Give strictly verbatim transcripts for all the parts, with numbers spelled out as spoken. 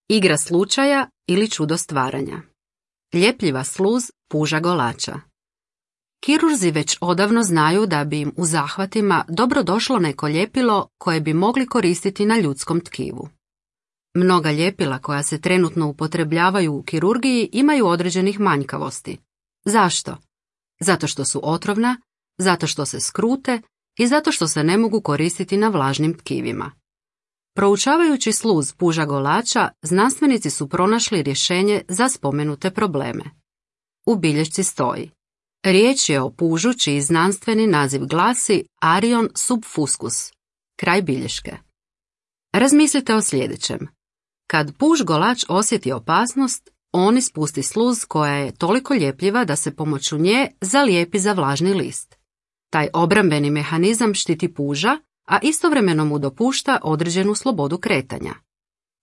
Igra slučaja ili čudo stvaranja. Ljepljiva sluz puža golača. Kirurzi već odavno znaju da bi im u zahvatima dobro došlo neko ljepilo koje bi mogli koristiti na ljudskom tkivu. Mnoga ljepila koja se trenutno upotrebljavaju u kirurgiji imaju određenih manjkavosti. Zašto? Zato što su otrovna, zato što se skrute i zato što se ne mogu koristiti na vlažnim tkivima. Proučavajući sluz puža golača, znanstvenici su pronašli rješenje za spomenute probleme. U bilješci stoji: riječ je o pužu čiji znanstveni naziv glasi Arion subfuscus. Kraj bilješke. Razmislite o sljedećem. Kad puž golač osjeti opasnost, on ispusti sluz koja je toliko ljepljiva da se pomoću nje zalijepi za vlažni list. Taj obrambeni mehanizam štiti puža, a istovremeno mu dopušta određenu slobodu kretanja.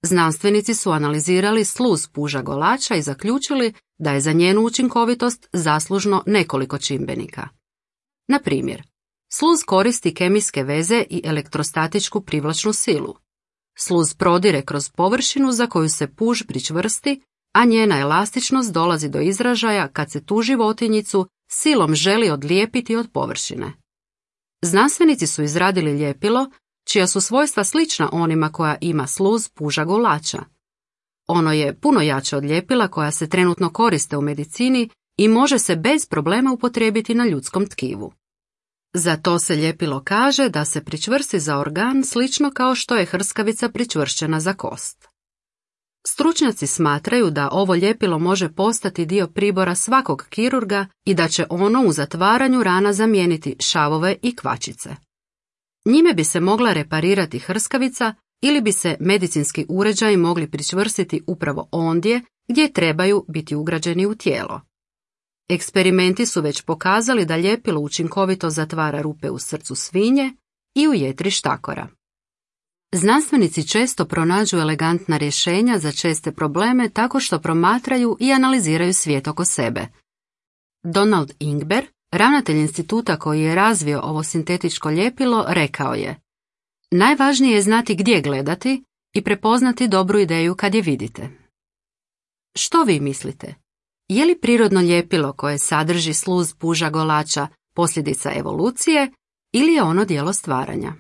Znanstvenici su analizirali sluz puža golača i zaključili da je za njenu učinkovitost zaslužno nekoliko čimbenika. Na primjer, sluz koristi kemijske veze i elektrostatičku privlačnu silu. Sluz prodire kroz površinu za koju se puž pričvrsti, a njena elastičnost dolazi do izražaja kad se tu životinjicu silom želi odlijepiti od površine. Znanstvenici su izradili ljepilo čija su svojstva slična onima koja ima sluz puža golača. Ono je puno jače od ljepila koja se trenutno koriste u medicini i može se bez problema upotrijebiti na ljudskom tkivu. Za to se ljepilo kaže da se pričvrsti za organ slično kao što je hrskavica pričvršćena za kost. Stručnjaci smatraju da ovo ljepilo može postati dio pribora svakog kirurga i da će ono u zatvaranju rana zamijeniti šavove i kvačice. Njime bi se mogla reparirati hrskavica ili bi se medicinski uređaji mogli pričvrstiti upravo ondje gdje trebaju biti ugrađeni u tijelo. Eksperimenti su već pokazali da ljepilo učinkovito zatvara rupe u srcu svinje i u jetri štakora. Znanstvenici često pronađu elegantna rješenja za česte probleme tako što promatraju i analiziraju svijet oko sebe. Donald Ingber, ravnatelj instituta koji je razvio ovo sintetičko ljepilo, rekao je: najvažnije je znati gdje gledati i prepoznati dobru ideju kad je vidite. Što vi mislite? Je li prirodno ljepilo koje sadrži sluz puža golača posljedica evolucije ili je ono djelo stvaranja?